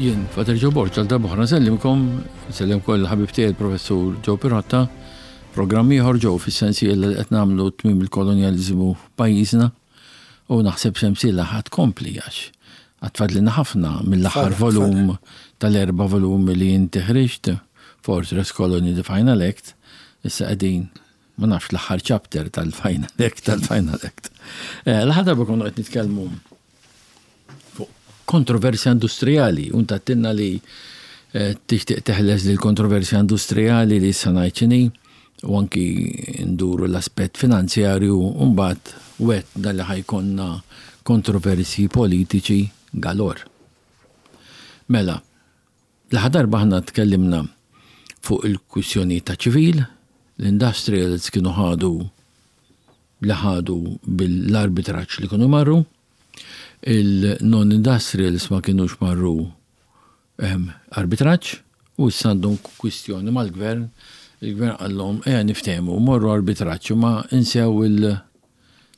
Jien, Father Joe Borg, għal darb'oħra nsellimkom, nsellem ukoll il-ħabib tiegħi il-Professur Joe Pirotta, programm ieħor Joe fis-sensiela li qed nagħmlu tmiem il-kolonjaliżmu f'pajjiżna u naħseb sensiela ħa tkompli għax għad fadlilna ħafna mill-aħħar volum tal-erba' volumi li inti ħriġt, Fortress Colony The Final Act, issa qegħdin ma nafx l-aħħar chapter tal-Final Act tal-Final Act. Eh, l-aħħar darba konna qed nitkellmu fuq kontroversja industrijali, u ntattinna li eh, tixtieq teħles lil kontroversja industrijali li issa ngħid x'inhi, u anki nduru l-aspett finanzjarju u mbagħad wetna li ħajkonna kontroversji politiċi galor. Mela, l-aħħar darba aħna tkellimna fuq il-kwistjonijiet ta' ċivil, l-industrials kienu ħadu li ħadu bil-arbitraġġ li kienu marru, il-non-industrials ma kinux marru ehm, arbitraġġ u issa għandhom kwistjoni mal-gvern, il-gvern qallhom ejja niftehmu, morru arbitraġġ ma insew il-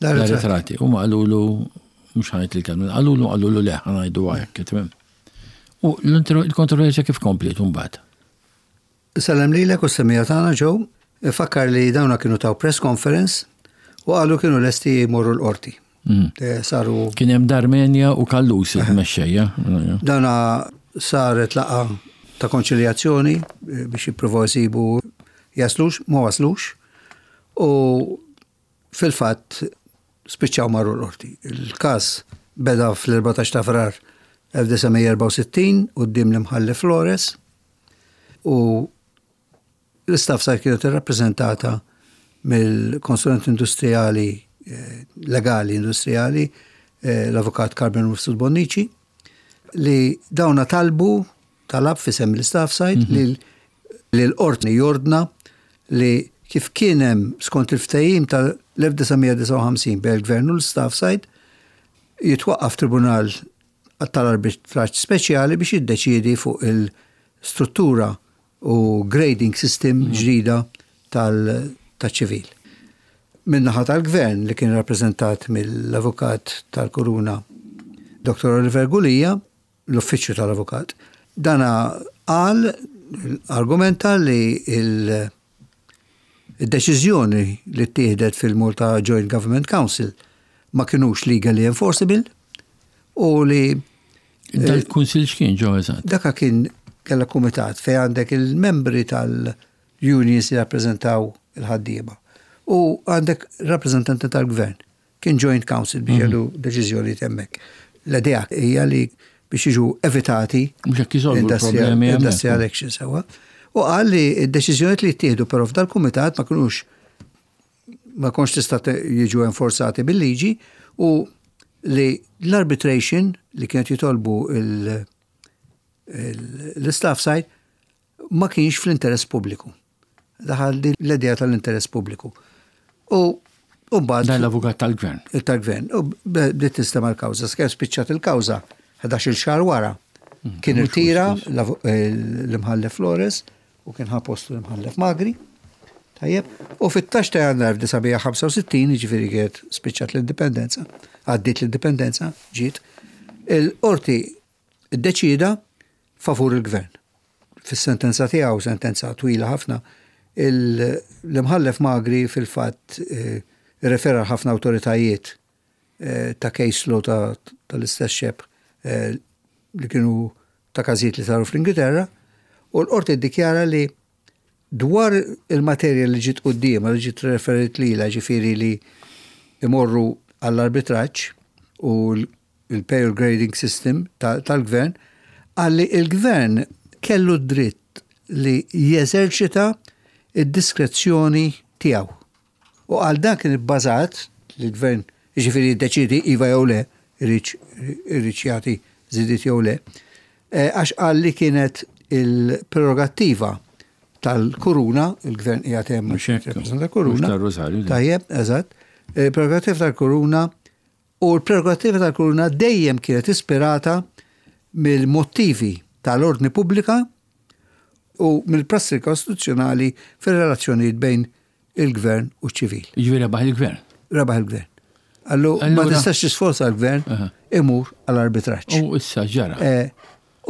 l-arretrati. U ma qalulu mhux ħajt il-kelma, qalulu qalulu le ħa ngħidu hekk, tifhem. U l-kontroversja kif kompliet mbagħad? Insellem lilek u s-semmiegħa tagħna Joe. Infakkar li dawna kienu taw press conference u qalu kienu lesti jmorru l-qorti. Mm. Eh, saru. Kien hemm Darmenja u Kallus il-mexxejja. Dana saret laqa ta' konċiljazzjoni eh, biex jippruvaw jsibu jaslux, ma waslux. U fil-fatt spiċċaw marru l-qorti. Il-każ beda fl-14 ta' Frar 1964 quddiem l-Imħallef Flores u l-istaff sar kienet irrappreżentata mill-konsulent industrijali eh, legali industrijali eh, l-avukat Carmen Mifsud Bonnici li dawna talbu talab fisem l-istaff site mhm. li l-qorti jordna li kif kien hemm skont il-ftehim tal-1959 bejn il-gvern u l-staff side jitwaqqaf tribunal tal-arbitraġġ speċjali biex jiddeċiedi fuq il-struttura u grading system mhm. ġdida tal-ċivil. Min-naħa tal-gvern li kien rappreżentat mill-avukat tal-Kuruna Dr. Oliver Gulia, l-uffiċċju tal-avukat, dana qal argumenta li il- Id-deċiżjoni li ttieħdet fil-Malta Joint Government Council ma kinux legally enforceable u li Dal-kunsil x'kien ġo eżatt? Daka kien kella kumitat fejn għandek il-membri tal-unions li rappreżentaw il-ħaddiema u għandek rappreżentanti tal-gvern. Kien joint council biex mhm. jgħidu deċiżjonijiet hemmhekk. L-idea hija li biex jiġu evitati industrial action sewa. U qal li d-deċiżjonijiet li jittieħdu però f'dal-kumitat ma kinux ma konx tista' jiġu enforzati bil-liġi u li l-arbitration li kienet jitolbu l-staff side ma kienx fl-interess pubbliku. Daħal din l-idea tal-interess pubbliku. U mbagħad. Dan l-avukat tal-gvern. Tal-gvern. U bdiet tinstema' l-kawża. Sakemm spiċċat il-kawża 11-il xahar wara. Mm, kien irtira l-imħallef Flores u kien ħa postu l-imħallef Magri. Tajjeb, u fit-tax ta' jannar 1965, ġifieri kienet spiċċat l-indipendenza, għaddiet l-indipendenza, ġiet, il-qorti Iddeċieda favur il-Gvern. Fis-sentenza tiegħu, sentenza twila ħafna, l-Imħallef Magri fil-fatt irrefera għal ħafna awtoritajiet ta' case law tal-istess xebh li kienu ta' każijiet li saru fl-Ingilterra, u l-Qorti ddikjara li Dwar il-materja li ġiet quddiemha, li ġiet referit lilha, ġifieri li imorru għall-arbitraġġ u l-payroll grading system tal-gvern, qal li l-gvern kellu d-dritt li jeżerċita d-diskrezzjoni tiegħu. U qal dan kien ibbażat li l-gvern jiġifieri jiddeċiedi iva jew le, iridx iridx jagħti żidiet jew le, eh, għax qal li kienet il-prerogattiva tal-kuruna, il-gvern qiegħed hemm rappreżenta kuruna. Tajjeb, eżatt. Il-prerogattiva tal-kuruna u l-prerogattiva tal-kuruna dejjem kienet ispirata mill-motivi tal-ordni pubblika u mill-prassi kostituzzjonali fir-relazzjonijiet bejn il-gvern u ċ-ċivil. Jiġifieri rebaħ il-gvern. Rebaħ il-gvern. Allu ma tistax tisforza l-gvern imur għall-arbitraġġ. U issa ġara. Eh,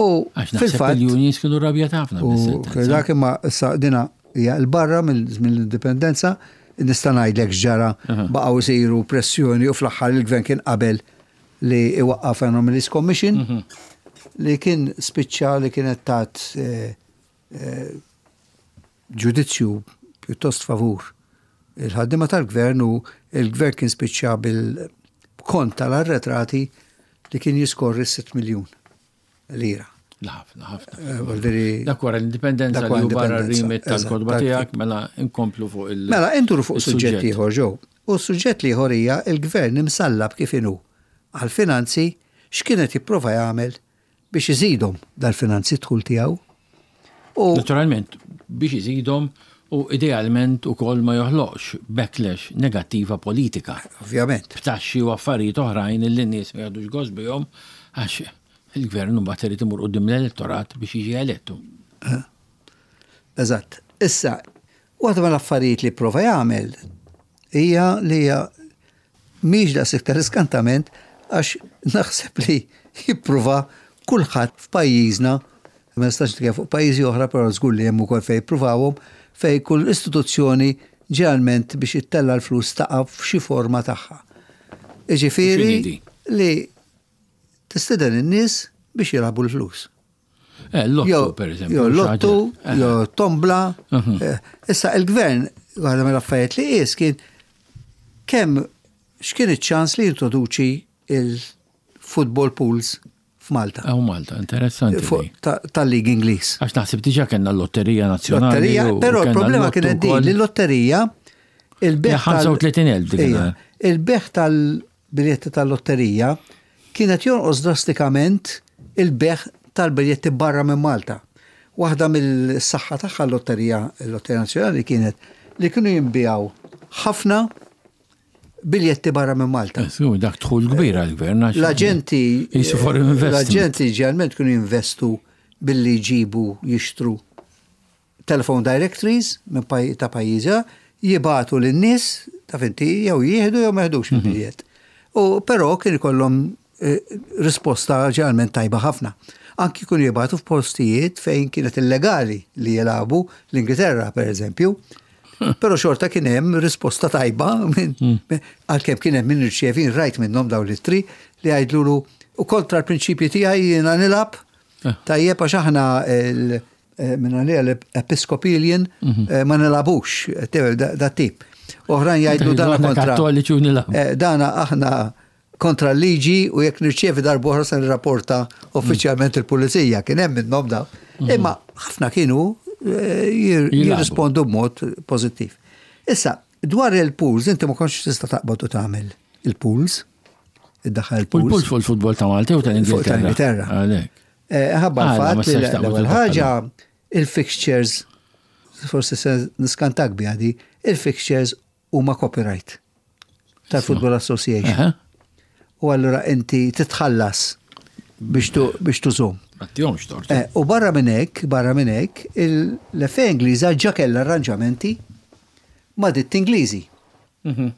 U fil-fatt. Il-unions kienu rabjat ħafna. U dak imma issa dina hija l-barra mill-indipendenza, nista' ngħidlek x'ġara baqgħu jsiru pressjoni u fl-aħħar il-gvern kien qabel li iwaqqaf Anomalies Commission mhm. li kien spiċċa li kienet tat eh, eh, ġudizzju pjuttost favur il-ħaddiema tal-gvern u il-gvern kien spiċċa bil-kont tal-arretrati li kien jiskorri 6 miljun lira. Ħafna, ħafna. Eh, dak wara l-indipendenza li barra r-rimit tal-kodba tiegħek, mela inkomplu fuq il- Mela induru fuq suġġett ieħor ġew. U s-suġġett ieħor hija il-gvern imsallab kif inhu għal-finanzi x'kienet jipprova jagħmel biex iżidhom dal-finanzi dħul tiegħu. U Naturalment, biex iżidhom u idealment ukoll ma joħloqx backlash negattiva politika. Ovvjament. B'taxxi u affarijiet oħrajn li n-nies ma jagħdux gost bihom għax il-gvern mbagħad irid imur quddiem l-elettorat biex jiġi elettu. Eh. Eżatt. Issa, waħda mill-affarijiet li prova jagħmel hija li hija Mhix daqs iktar iskantament għax naħseb li jippruva kulħadd f'pajjiżna, ma nistax nitkellem fuq pajjiżi oħra però żgur li hemm ukoll fejn jippruvawhom, fejn kull istituzzjoni ġeneralment biex ittella' l-flus taqa' f'xi forma tagħha. Jiġifieri li tistieden in-nies biex jilagħbu l-flus. Eh, lottu, per eżempju. Jo lottu, eh. jo tombla. Mhm. Eh, issa il-gvern, għadha mill-affarijiet li qis kien kemm x'kien iċ-ċans li jintroduċi il-football pools f'Malta. Aw Malta, interessanti. Tal-Lig Ingliż. Għax naħseb diġà kellna l-lotterija nazzjonali. Lotterija, però l-problema kienet din li l-lotterija il-beħ 35,000 dik. Il-beħ tal- biljetti tal-lotterija, kien qed jonqos drastikament il-bejgħ tal-biljetti barra minn Malta. Waħda mill-saħħa tagħha l-lotterija, il-Lotterija Nazzjonali kienet li kienu jinbiegħu ħafna biljetti barra minn Malta. Eh, dak dħul kbir għall-gvern. L-aġenti l-aġenti ġeneralment kienu jinvestu billi jġibu jixtru telephone directories minn ta' pajjiżi jibagħtu lin-nies taf inti jew jieħdu jew ma jeħdux mhm. il-biljett. U però kien ikollhom eh, risposta ġeneralment tajba ħafna. Anki kienu jibagħtu f'postijiet fejn kienet illegali li jilagħbu l-Ingilterra pereżempju. Però xorta kien hemm risposta tajba hmm. għalkemm kien hemm min irċievi rajt minnhom dawn l-ittri li jgħidlulu u kontra l-prinċipji tiegħi jiena nilgħab eh. tajjeb għax aħna Eh, minn għalija l-Episcopalian mhm. eh, ma nilabux, eh, da tip. Oħrajn jgħidlu dana kontra. Kattoliċi u nilab. Dana aħna kontra l-liġi u jekk nirċievi darbohra se nirrapporta uffiċjalment il-pulizija, kien hemm minnhom daw. Mhm. Imma ħafna kienu jirrispondu b'mod pożittiv. Issa, dwar il-pools, inti ma kontx tista' taqbad u tagħmel il-pools, iddaħħal il-pools. Il-pools fuq il-futbol ta' Malta u tal-Ingilterra. Tal-Ingilterra. Eh, ħabba l-fatt li l-ewwel ħaġa il-fixtures forsi se niskantak biha di, il-fixtures huma copyright tal-Football Association. U allura inti titħallas biex tużhom. Għattihomx tort. Eh, u barra minn hekk, barra minn hekk, l-FA Ingliża ġa kellha arranġamenti ma' ditti Ingliżi. Mhm.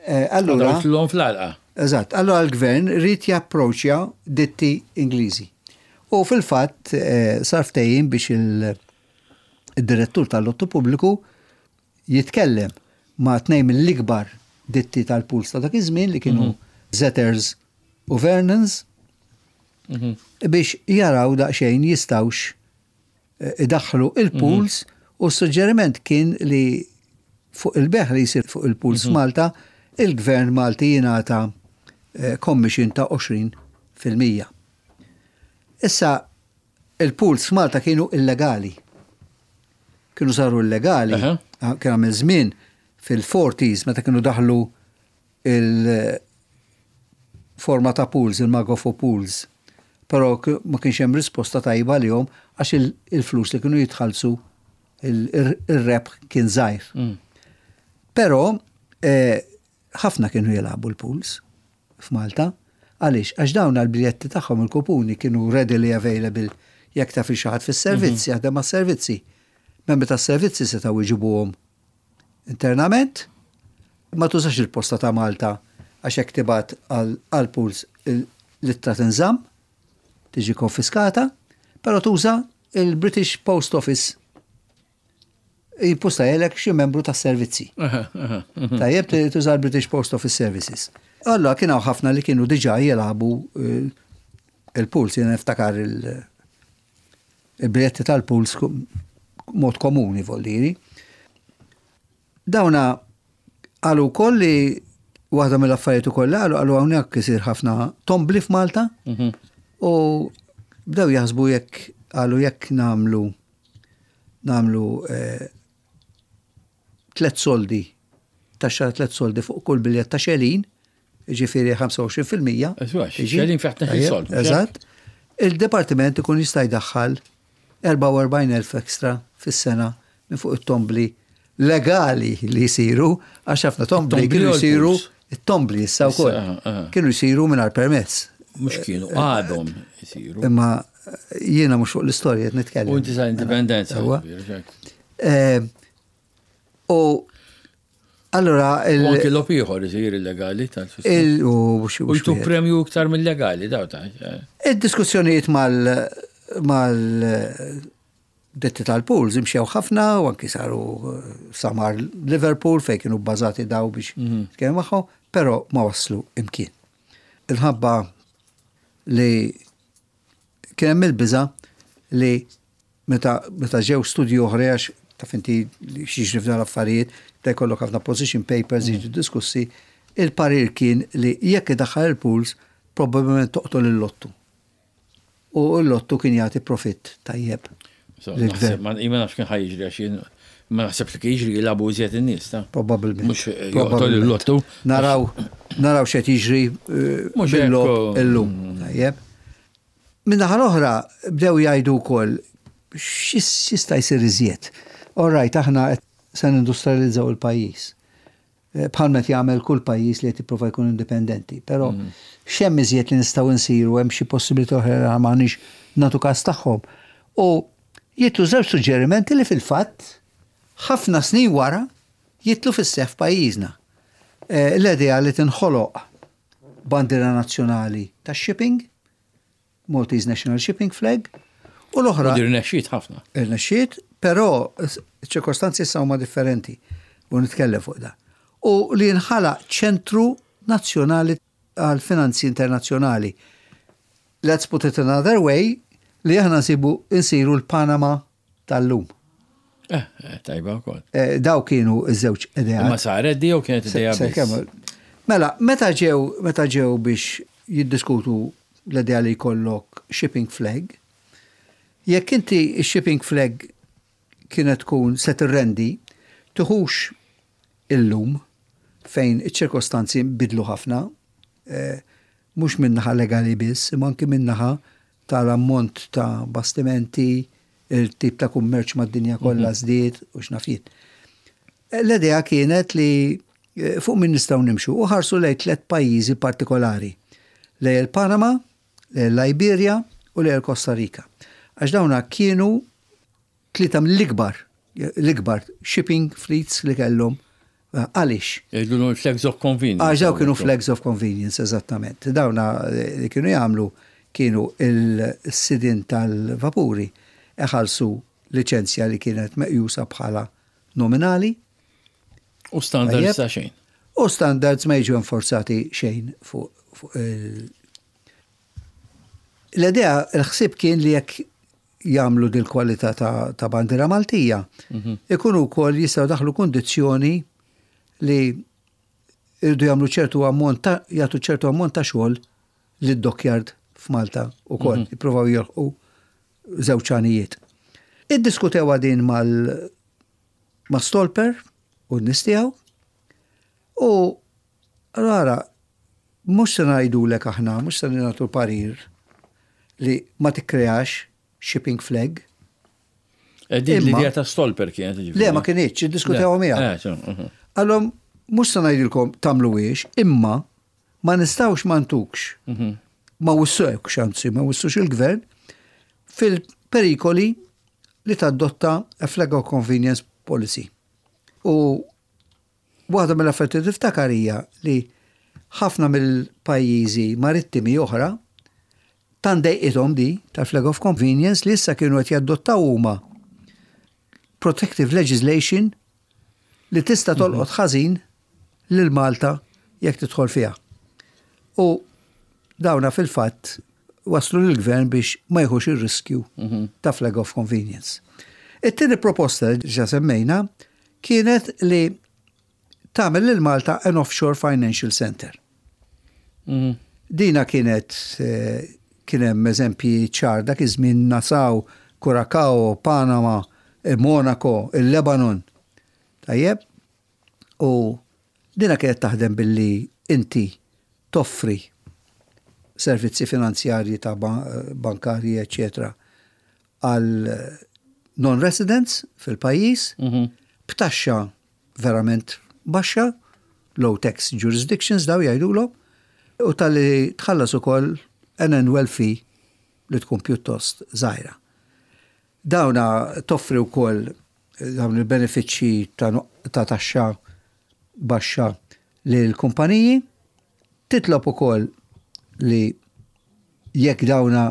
Eh, allura. L-lom fl-għalqa. Eżatt, allura l-gvern rrid japproċja ditti Ingliżi. U fil-fatt eh, sar ftehim biex il-direttur tal-lottu pubbliku jitkellem ma' tnejn mill-ikbar ditti tal-puls ta' dak iż-żmien li kienu mhm. Zetters u Vernons mhm. biex jaraw daqsxejn jistawx idaħħlu il-pools mhm. u s-suġġeriment kien li fuq il-beħ li jsir fuq il-pools mhm. f'Malta, il-gvern Malti jingħata eh, commission ta' 20%. Issa, il-pools f'Malta kienu illegali. Kienu saru illegali, ah, kien għamil żmien fil-40s meta kienu daħlu il-forma ta' pools, il-Magofo pools. Però ma kienx hemm risposta tajba għalihom għax il-flus li kienu jitħallsu ir-rebħ kien żgħir. Mm. Però eh, ħafna kienu jilagħbu l-pools f'Malta. Għaliex? Għax dawn għal-biljetti tagħhom il-kupuni kienu readily available jekk taf xi ħadd fis-servizz, mhm. jaħdem mas-servizzi. Membri tas-servizzi setgħu jġibuhom Internament, ma tużax il-posta ta' Malta għax hekk tibgħat għall-pools l-ittra tinżamm, tiġi konfiskata. Però tuża il-British Post Office jippostajelek xi membru tas-servizzi. Tajjeb tuża l-British Post Office Services. Allora kien hawn ħafna li kienu diġà jilagħbu eh, il-puls, jiena niftakar il-biljetti tal-puls mod komuni voldiri. Dawna qalu wkoll li waħda mill-affarijiet ukoll li qalu qalu hawnhekk isir ħafna tombli f'Malta mhm. u bdew jaħsbu jekk qalu jekk nagħmlu nagħmlu eh, tlet soldi taxxa tlet soldi fuq kull biljett ta' xelin, ġifieri 25%. Xelin fiħ sold. Eżatt. Il-departiment ikun jista' jdaħħal 44,000 extra fis-sena minn fuq it-tombli legali li jsiru, għax ħafna tombli kienu jsiru it-tombli issa wkoll. Kienu jsiru mingħajr permess. Mhux kienu, għadhom jsiru. Imma jiena mhux fuq l-istorja qed nitkellem. U inti sa indipendenza. Eh, u Allura il. U anki logħob ieħor isir illegali tal Il u U jtuk premju iktar mill-legali daw ta' eh. Id-diskussjonijiet mal mal detti tal-pools imxew ħafna u anki saru eh, samar Liverpool fejn kienu bbażati daw biex mhm. tkellmu magħhom, però ma waslu imkien. Il-ħabba li kien hemm il-biża li Meta meta ġew studji oħra għax taf inti x'jiġri f'dan l-affarijiet, ta' jkollok ħafna position papers jiġu diskussi, il-parir kien li jekk idaħħal il-pools probabbilment toqtol il-lottu. U l-lottu kien jagħti profitt tajjeb. Ma nafx kien ħa jiġri għax jien ma naħseb li kien jiġri jilagħbu iżjed in-nies ta'. Probabbilment. Mhux joqtol il-lottu. Naraw naraw x'qed jiġri eh, bil-logħob illum. Tajjeb. Min-naħa l-oħra, bdew jgħidu wkoll x'jista' jsir iżjed. All right, aħna se nindustrializzaw il-pajjiż. Eh, bħalma qed jagħmel kull pajjiż li qed jipprova jkun indipendenti. Però mm. x'hemm iżjed li nistgħu nsiru, hemm xi possibilità oħra li m'għandniex nagħtu każ tagħhom. U jitlu żewġ suġġerimenti li fil-fatt ħafna snin wara jitlu fis-seħħ f'pajjiżna. Eh, l-idea li tinħoloq bandiera nazzjonali tax-shipping, Maltese National Shipping Flag, u l-oħra. U irnexxiet ħafna. Irnexxiet, però ċirkostanzi issa huma differenti u nitkellem fuq da. U li jinħalaq ċentru nazzjonali għal finanzi internazzjonali. Let's put it another way, li aħna nsibu nsiru l-Panama tal-lum. Eh, eh, tajba wkoll. Eh, daw kienu ż-żewġ ideat. Ma saret di jew kienet idea Mela, meta ġew meta ġew biex jiddiskutu l-idea li jkollok shipping flag, jekk inti shipping flag kienet tkun se tirrendi, tiħux illum fejn iċ-ċirkostanzi bidlu ħafna, eh, mhux min-naħa legali biss, imma anki min-naħa tal-ammont ta' bastimenti, il-tip ta' kummerċ mad-dinja kollha mhm. żdied u x'naf jien. L-idea kienet li eh, fuq min nistgħu nimxu u ħarsu lejn tliet pajjiżi partikolari. Lejn il-Panama, lejn il-Liberia u lejn il-Costa Rica. Għax dawna kienu Tlieta mill-ikbar, l-ikbar shipping fleets li kellhom. Eh, għaliex? Jgħidulu flags of convenience. Għax daw kienu flags of convenience, eżattament. Dawna eh, li kienu jagħmlu kienu il-sidin tal-vapuri iħallsu liċenzja li kienet meqjusa bħala nominali. U standards ta' xejn. U standards ma jiġu enforzati xejn fuq il- L-idea, il-ħsieb kien li jekk jagħmlu dil-kwalità ta' bandiera Maltija, mhm. ikunu wkoll jistgħu daħlu kundizzjoni li irdu jagħmlu ċertu ammont ta' jagħtu ċertu ammont ta' xogħol lid dockyard f'Malta wkoll, mhm. jippruvaw jilħqu żewġ għanijiet. Iddiskutew din mal ma' Stolper u n-nies tiegħu u ara Mhux se ngħidulek aħna, mhux se nagħtu parir li ma tikkreax shipping flag. Eh, din l-idea ta' Stolper kienet. Le, ma kinitx, iddiskutewha miegħek. Eh, mhm. Għallhom mhux se ngħidilkom tagħmluhiex, imma ma nistgħux ma ntukx. Mhm. Ma wissewx, anzi, ma wissux il-gvern fil-perikoli li tadotta a flag of convenience policy. U Waħda mill-affarijiet li tiftakar hija li ħafna mill-pajjiżi marittimi oħra Tant dejqithom di tal-flag of convenience li issa kienu qed jaddottaw huma protective legislation li tista' tolqot ħażin lil Malta jekk tidħol fiha. U dawna fil-fatt waslu lill-gvern biex ma jieħux ir-riskju ta' flag of convenience. It-tieni proposta li ġa semmejna kienet li tagħmel lil Malta an offshore financial center. Dina kienet kien hemm eżempji ċar dak iż-żmien Nassau, Curacao, Panama, Monaco, il-Lebanon. Tajjeb? U dina kienet taħdem billi inti toffri servizzi finanzjarji ta' bankarji, eċċetera, għal non-residents fil-pajjiż b'taxxa verament baxxa, low tax jurisdictions daw jgħidulhom, u talli tħallas ukoll an annual fee li tkun pjuttost żgħira. Dawna toffri wkoll dawn il-benefiċċji ta' taxxa baxxa lil kumpaniji, titlob ukoll li jekk dawna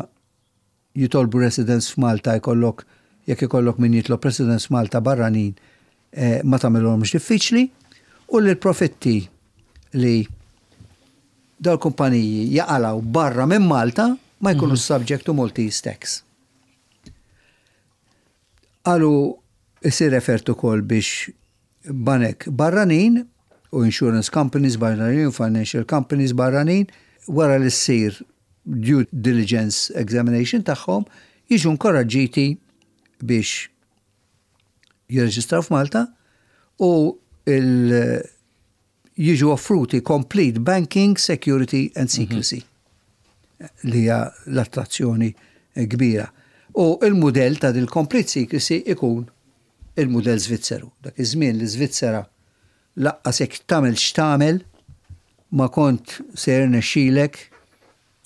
jitolbu residence f'Malta jkollok jekk ikollok min jitlob residence f'Malta barranin eh, ma tagħmilhomx diffiċli u li l-profitti li dawn kumpaniji jaqalaw barra minn Malta ma jkunu mhm. subject to Maltese tax. Qalu isir refert ukoll biex banek barranin u insurance companies barranin u financial companies barranin wara li ssir due diligence examination tagħhom jiġu nkoraġġiti biex jirreġistraw f'Malta u il jiġu offruti complete banking, security and secrecy li hija l-attrazzjoni kbira. U il-mudell ta' dil complete secrecy ikun il-mudell Svizzeru. Dak iż-żmien li Svizzera laqqas jekk tagħmel x'tagħmel ma kont se jirnexxilek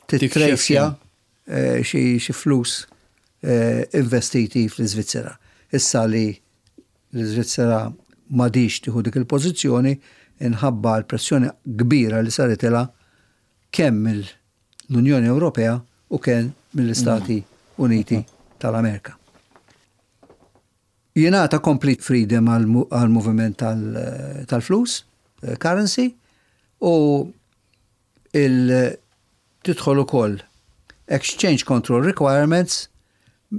tittrejsja eh, xi flus eh, investiti fl-Iżvizzera. Issa li l-Iżvizzera m'għadhiex tieħu dik il-pożizzjoni inħabba l-pressjoni kbira li saritilha kemm mill-Unjoni Ewropea u kemm mill-Istati Uniti tal-Amerika. Jingħata complete freedom għall-moviment tal-flus, eh, currency, u il tidħol ukoll exchange control requirements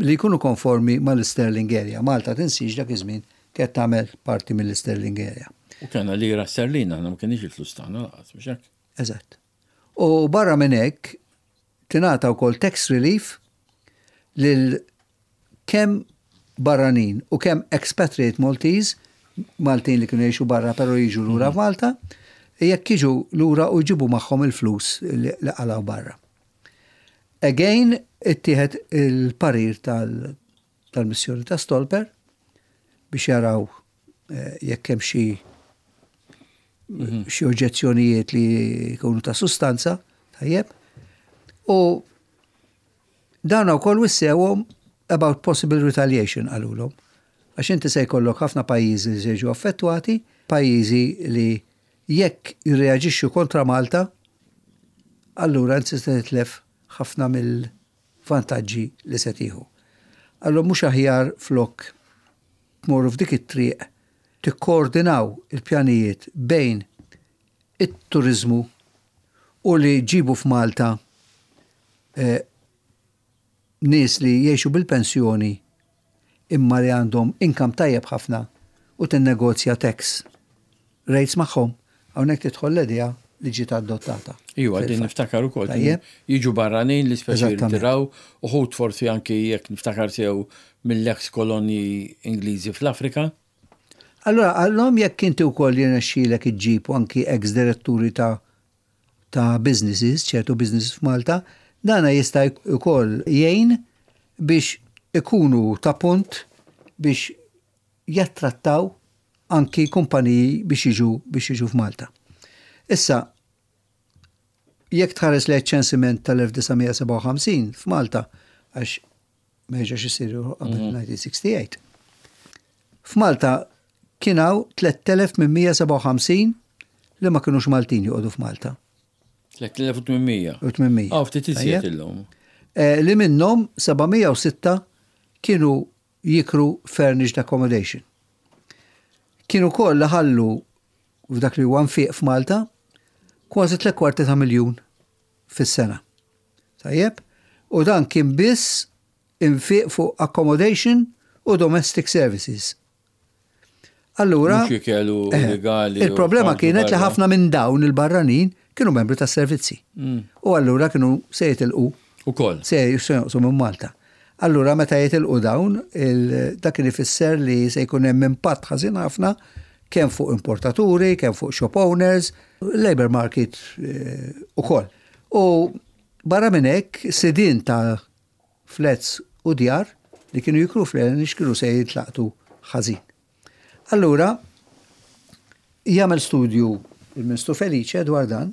li jkunu konformi mal-Sterling Area. Malta tinsiex dak iż-żmien kienet tagħmel parti mill-Sterling Area. U kellna lira sterlina, aħna ma kienx il-flus tagħna lanqas, mhux hekk? Eżatt. U barra minn hekk tingħata wkoll tax relief lil kemm barranin u kemm expatriate Maltese, Maltin li kienu jgħixu barra però jiġu lura mhm. f'Malta, jekk jiġu lura u jġibu magħhom il-flus li qalgħu barra. Again, ittieħed il-parir tal-missjoni ta' Stolper biex jaraw eh, jekk hemm xi mhm. xi oġġezzjonijiet li jkunu ta' sustanza, tajjeb. U Dawn wkoll wissewhom about possible retaliation qalulhom. Għax inti se jkollok ħafna pajjiżi li se jiġu affettwati, pajjiżi li jekk jirreaġixxu kontra Malta, allura inti se titlef ħafna mill-vantaġġi li se tieħu. Allura mhux aħjar flok tmorru f'dik it-triq tikkoordinaw il-pjanijiet bejn it-turiżmu u li ġibu f'Malta eh, nies li jgħixu bil-pensjoni imma li għandhom income tajjeb ħafna u tinnegozja tax rates magħhom, hawnhekk tidħol l-idea li ġiet adottata. Iwa, din niftakar ukoll. Jiġu barranin li speċi jirtiraw, uħud forsi anki jekk niftakar sew mill-ex kolonji Ingliżi fl-Afrika. Allora, għallhom jekk inti wkoll jirnexxielek iġġib anki ex diretturi ta' ta' businesses, ċertu businesses f'Malta, dana jista' wkoll jgħin biex ikunu ta' punt biex jattrattaw anki kumpaniji biex jiġu biex jiġu f'Malta. Issa, jekk tħares lejn ċensiment tal-1957 f'Malta, għax ma jerġax isir qabel 1968. Mhm. F'Malta kien hawn 3857 li ma kinux Maltin joqogħdu f'Malta. 3800. 800. Ah, ftit iżjed illum. Li minnhom 706 kienu jikru furnished accommodation. Kienu ukoll ħallu f'dak li huwa nfiq f'Malta kważi 3/4 ta' miljun fis-sena. Tajjeb? U dan kien biss infiq fuq accommodation u domestic services. Allura, Mhux ikel u legali u il-problema ħarġu kienet li barra. ħafna minn dawn il-barranin kienu membri tas-servizzi. U allura kienu se jitilqu Ukoll. se jonqsu minn Malta. Allura meta jitilqu dawn, dak kien ifisser li se jkun hemm impatt ħażin ħafna kemm fuq importaturi, kemm fuq shop owners, labor market ukoll. U barra minn hekk sidien ta' flats u djar li kienu jikru fl-Enish kienu se jitlaqtu ħażin. Allura, jagħmel studju il-Ministru Felice dwar dan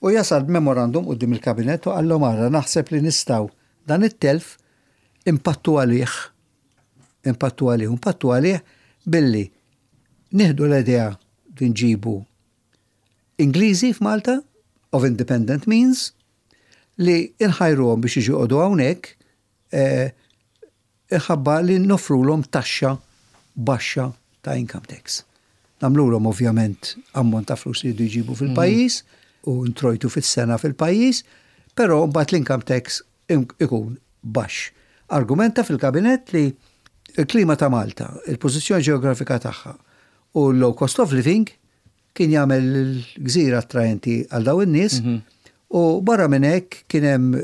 u jasal b'memorandum quddiem il-Kabinett u qallhom ara naħseb li nistgħu dan it-telf impattu għalih, impattu għalih, impattu għalih billi nieħdu l-idea li nġibu Ingliżi f'Malta of independent means li inħajruhom biex jiġu joqogħdu hawnhekk inħabba li noffrulhom taxxa baxxa ta' income tax. Nagħmlulhom ovvjament ammont ta' flus li jridu jġibu fil-pajjiż u introjtu fis-sena fil-pajjiż, però mbagħad l-income tax ikun baxx. Argumenta fil-kabinett li l-klima ta' Malta, il-pożizzjoni ġeografika tagħha u l-low cost of living kien jagħmel l-gżira attraenti għal dawn in-nies u barra minn hekk kien hemm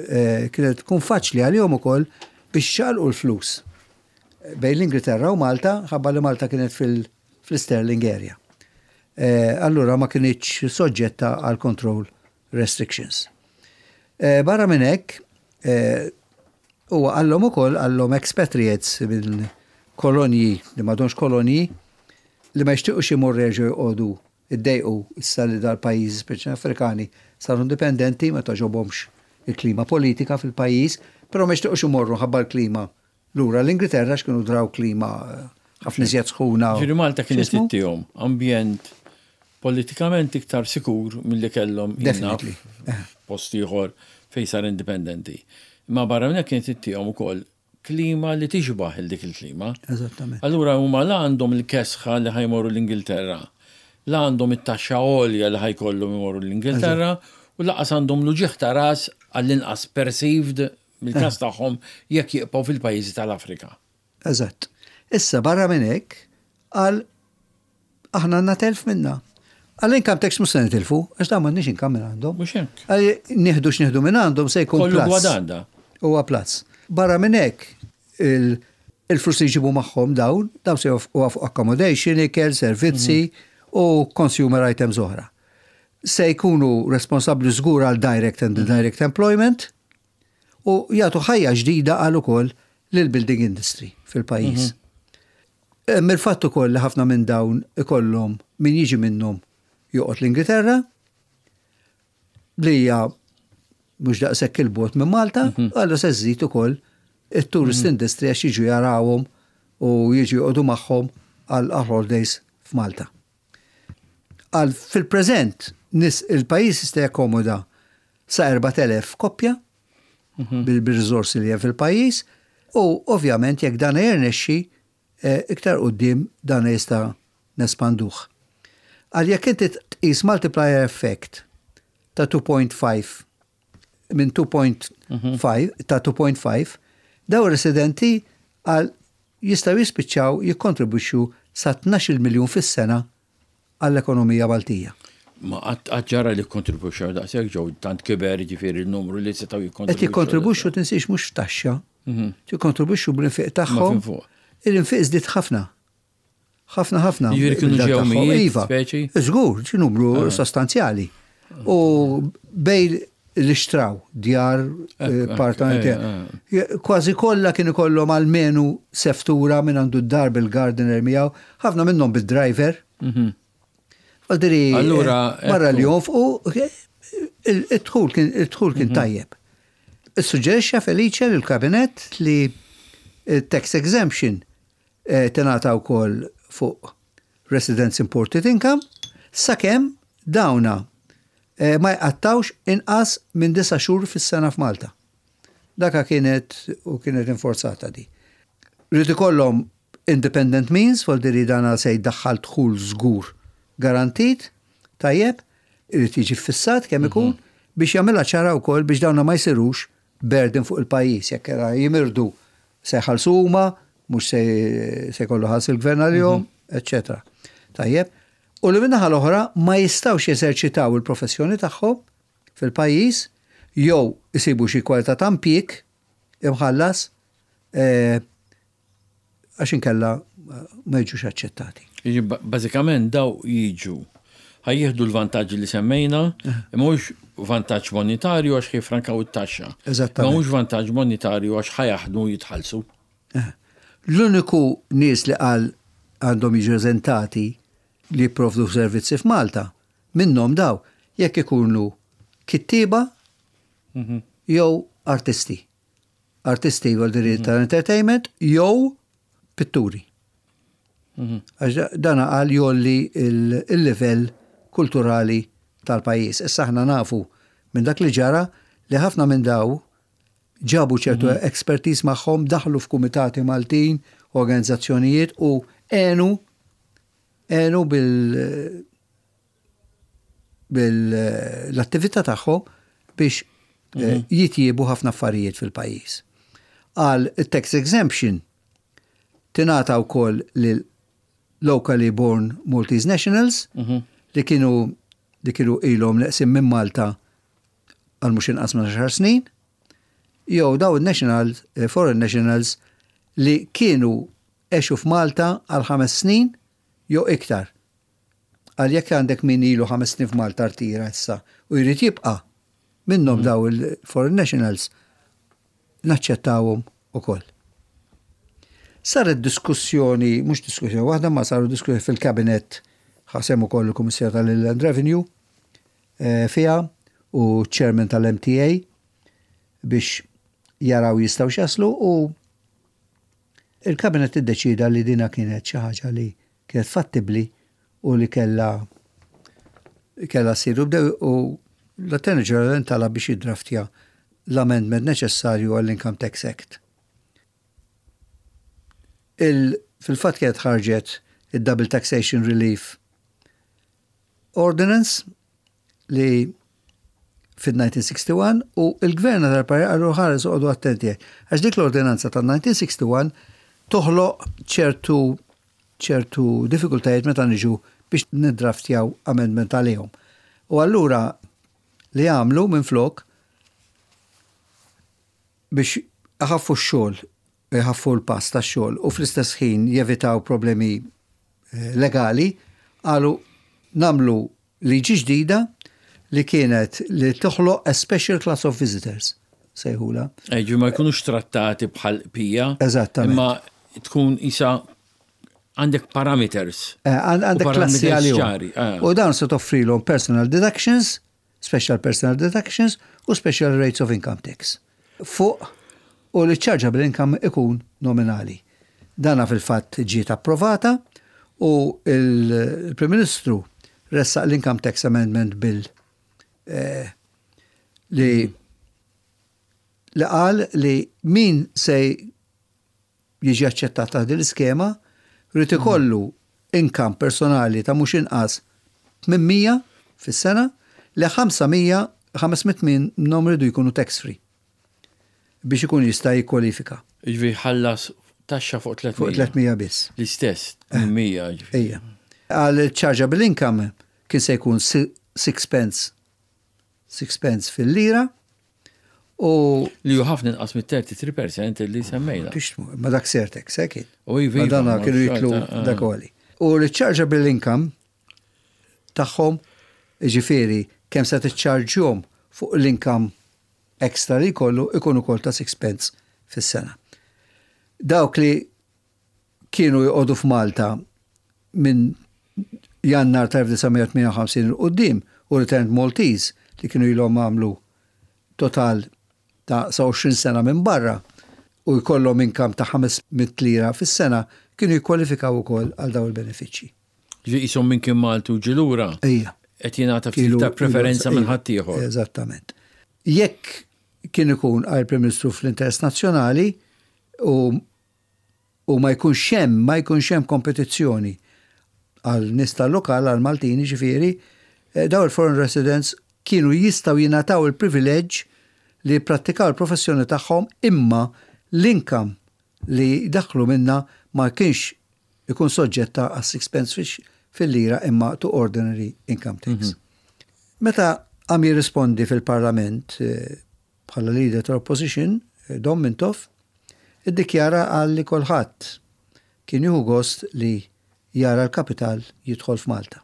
kienet tkun faċli għalihom ukoll biex xalqu l-flus bejn l-Ingilterra u Malta, ħabba li Malta kienet fil-Sterling area. Allura ma kinitx soġġetta għal control restrictions. Barra minn hekk, huwa qallhom ukoll qallhom expatriates minn kolonji li m'għadhomx kolonji li ma jixtiequx imorru jerġgħu joqogħdu iddejqu issa li dal-pajjiżi speċi Afrikani saru indipendenti, ma togħġobhomx il-klima politika fil-pajjiż, però ma jixtiequx imorru ħabba l-klima lura l-Ingilterra x'kienu draw klima ħafna iżjed sħuna. Ġifieri Malta kienet X'ismu? ittihom ambjent politikament iktar sikur milli kellhom jinnaf Definitely. post ieħor fejn sar indipendenti. Ma barra minn hekk kienet ittihom ukoll klima li tixbaħ il dik il-klima. Eżattament. Allura huma la għandhom il-kesħa li ħa jmorru l-Ingilterra, la għandhom it-taxxa għolja li ħa jkollhom imorru l-Ingilterra, u lanqas għandhom l-uġigħ ta' ras għall-inqas perceived mill-każ tagħhom jekk jibqgħu fil-pajjiżi tal-Afrika. Eżatt. Issa barra minn hekk għal aħna għandna telf minna. Għal income tax mhux se nitilfu, għax dawn m'għandniex income minn għandhom. Mhux hekk. Għal nieħdu x'nieħdu minn għandhom se jkun Kollu plus. gwadanda. Huwa plus. Barra minn hekk il-flus li jġibu magħhom dawn, dawn se jonfqu fuq accommodation, ikel, servizzi u consumer items oħra. Se jkunu responsabbli żgur għal direct and indirect employment u jagħtu ħajja ġdida għal ukoll lil building industry fil-pajjiż. Mill-fatt ukoll li ħafna minn dawn ikollhom min jiġi minnhom joqgħod l-Ingilterra li hija mhux daqshekk il-bogħod minn Malta, allura se żżid ukoll it-tourist industry għax jiġu jarawhom u jiġu joqogħdu magħhom għal holidays f'Malta. Għal fil-preżent nis il-pajjiż jista' jakkomoda sa 4000 koppja bil-riżorsi li hemm fil-pajjiż u ovvjament jekk dan jirnexxi iktar quddiem dan jista' nespanduh. Għal jekk inti tqis multiplier effect ta' 2.5 minn 2.5 ta' 2.5 daw residenti għal jistgħu jispiċċaw jikkontribwixxu sa 12 miljun fis-sena għall-ekonomija Maltija. Ma qatt ġara li kontribwixxew daqshekk ġew tant kiber ġifieri il-numru li setgħu Qed jikkontribwixxu. jikkontribwixxu tinsiex mhux f'taxxa, jikkontribwixxu bl-infiq tagħhom. Ma fin fuq. Il-infiq żdied ħafna. Ħafna ħafna. Jiġifieri kienu bil-dat ġew tagħhom. mijiet, Iva. speċi? Żgur, ġi numru sostanzjali. U bej li xtraw djar, appartamenti, kważi kollha kienu kollhom almenu seftura minn għandu d-dar bil-gardener miegħu, ħafna minnhom bil-driver. Għaldiri, Allura, barra li ekku. jonfqu, id-dħul kien, id-dħul kien tajjeb. Issuġġerixxa Felice lill-Kabinett li tax exemption tingħata wkoll fuq residence imported income sakemm dawna ma jqattawx inqas minn 9 xhur fis-sena f'Malta. Daka kienet u kienet inforzata di. Rrid ikollhom independent means, vuol dire dana se jdaħħal dħul żgur garantit, tajjeb, irid jiġi ffissat kemm ikun biex jagħmilha ċara wkoll biex dawna ma jsirux burden fuq il-pajjiż. Jekk era jimirdu se jħallsu huma, mhux se se jkollu ħallas il-gvern għalihom, eċċetera. Tajjeb. U li min-naħa l-oħra ma jistgħux jeżerċitaw il-professjoni tagħhom fil-pajjiż jew isibu xi kwalità ta' impjieg imħallas għax inkella ma jiġux aċċettati. Bażikament daw jiġu ħa jieħdu l-vantaġġi li semmejna, imma mhux vantaġġ monetarju għax jifrankaw it-taxxa. Eżattament. Ma mhux vantaġġ monetarju għax ħa jaħdmu jitħallsu. L-uniku nies li qal għandhom jiġu eżentati li jipprovdu servizzi f'Malta, minnhom daw, jekk ikunu kittieba jew artisti. Artisti vuol dire tal-entertainment jew pitturi. Għax dana qal jgħolli il-livell kulturali tal-pajjiż. Issa aħna nafu minn dak li ġara li ħafna minn daw ġabu ċertu expertise magħhom, daħlu f'kumitati Maltin, organizzazzjonijiet u għenu bil bil-attività tagħhom biex jitjiebu ħafna affarijiet fil-pajjiż. Għal tax exemption tingħata wkoll lil locally born Maltese nationals li kienu ilhom neqsin minn Malta għal mhux inqas minn 10 snin, jew daw il-national, foreign nationals li kienu għexu f'Malta għal 5 snin jew iktar. Għal jekk għandek min ilu 5 snin f'Malta rtira issa u jrid jibqa' minnhom daw il-foreign nationals naċċettawhom ukoll. Saret diskussjoni, mhux diskussjoni waħda, ma saru diskussjoni fil-kabinet ħa sehem ukoll il-Kummissarju tal-Inland Revenue fiha u chairman tal-MTA biex jaraw jistgħu jaslu u il-kabinet iddeċida li dina kienet xi ħaġa li kienet fattibli u li kellha ssir u bdew u l-Attorney General intalab biex jiddraftja l-amendment neċessarju għall-Income Tax Act. Fil-fatt kienet ħarġet il-Double Taxation Relief Ordinance li fil-1961 u il-gvern tal-pajjiż qallu ħares oqogħdu attenti. Għax dik l-ordinanza tal-1961 toħloq ċertu diffikultajiet meta niġu biex nidraftjaw amendment għalihom. U allura li għamlu minn flok biex iħaffu x-xogħol, iħaffu l-pass tax-xogħol u fl-istess ħin jevitaw problemi legali, qalu nagħmlu liġi ġdida li kienet li toħloq a special class of visitors, sejħula. Ġi ma jkunux trattati bħal pija. Eżattament. Imma tkun isa għandek parameters. Għandek U klassi parameters għalihom. ċari. U dawn se toffrilhom personal deductions, special personal deductions u special rates of income tax. Fuq u li chargeable income ikun nominali. Dana fil-fatt ġiet approvata u il-Prim Ministru ressaq l-Income Tax Amendment Bill li qal li min se jiġi aċċettat ta' din l-iskema rrid ikollu income personali ta' mhux inqas 800 fis-sena li 500 500 minnhom rridu jkunu tax free biex ikun jista' jikkwalifika. Ġifieri ħallas taxxa fuq 300. Fuq 300 biss. L-istess, 800 ġifieri. Ejja. Għal chargeable income kien se jkun 6 pence 6 pence fil-lira u Li ju ħafna inqas mit-33% li semmejna. biex ma dak surtax, eh, kien. U iva, Ma dana ma kienu jitlu xorta, dak għoli. U l-chargeable income tagħhom ġifieri kemm se tiċċarġjhom fuq l-income extra li jkollu ikun ukoll ta' 6 pence fis-sena. Dawk li kienu joqogħdu f'Malta minn Jannar ta' 1958 'il quddiem u returned Maltese li kienu ilhom għamlu total ta' sa 20 sena minn barra u jkollhom income ta' 500 lira fis-sena kienu jikkwalifikaw ukoll għal daw il-benefiċċji. Ġifieri qishom minn kien Malti u ġie lura. Ejja. Qed jingħata ftit ta' preferenza minn ħaddieħor. Eżattament. Jekk Kien ikun għal Prim Ministru fl-interess nazzjonali u u ma jkunx hemm ma jkunx hemm kompetizzjoni għal nies tal-lokal għal Maltin jiġifieri, eh, daw il-foreign residents kienu jistgħu jingħataw il-privileġġ li jipprattikaw il-professjoni tagħhom imma l-income li jdaħħlu minnha ma kienx ikun soġġetta għas sixpence fil-lira imma to ordinary income tax. Mhm. Meta għam jirrispondi fil-parlament eh, bħala leader tal-opposition, eh, Dom Mintoff, iddikjara għal li kolħadd kien jieħu gost li jara l-kapital jidħol f'Malta.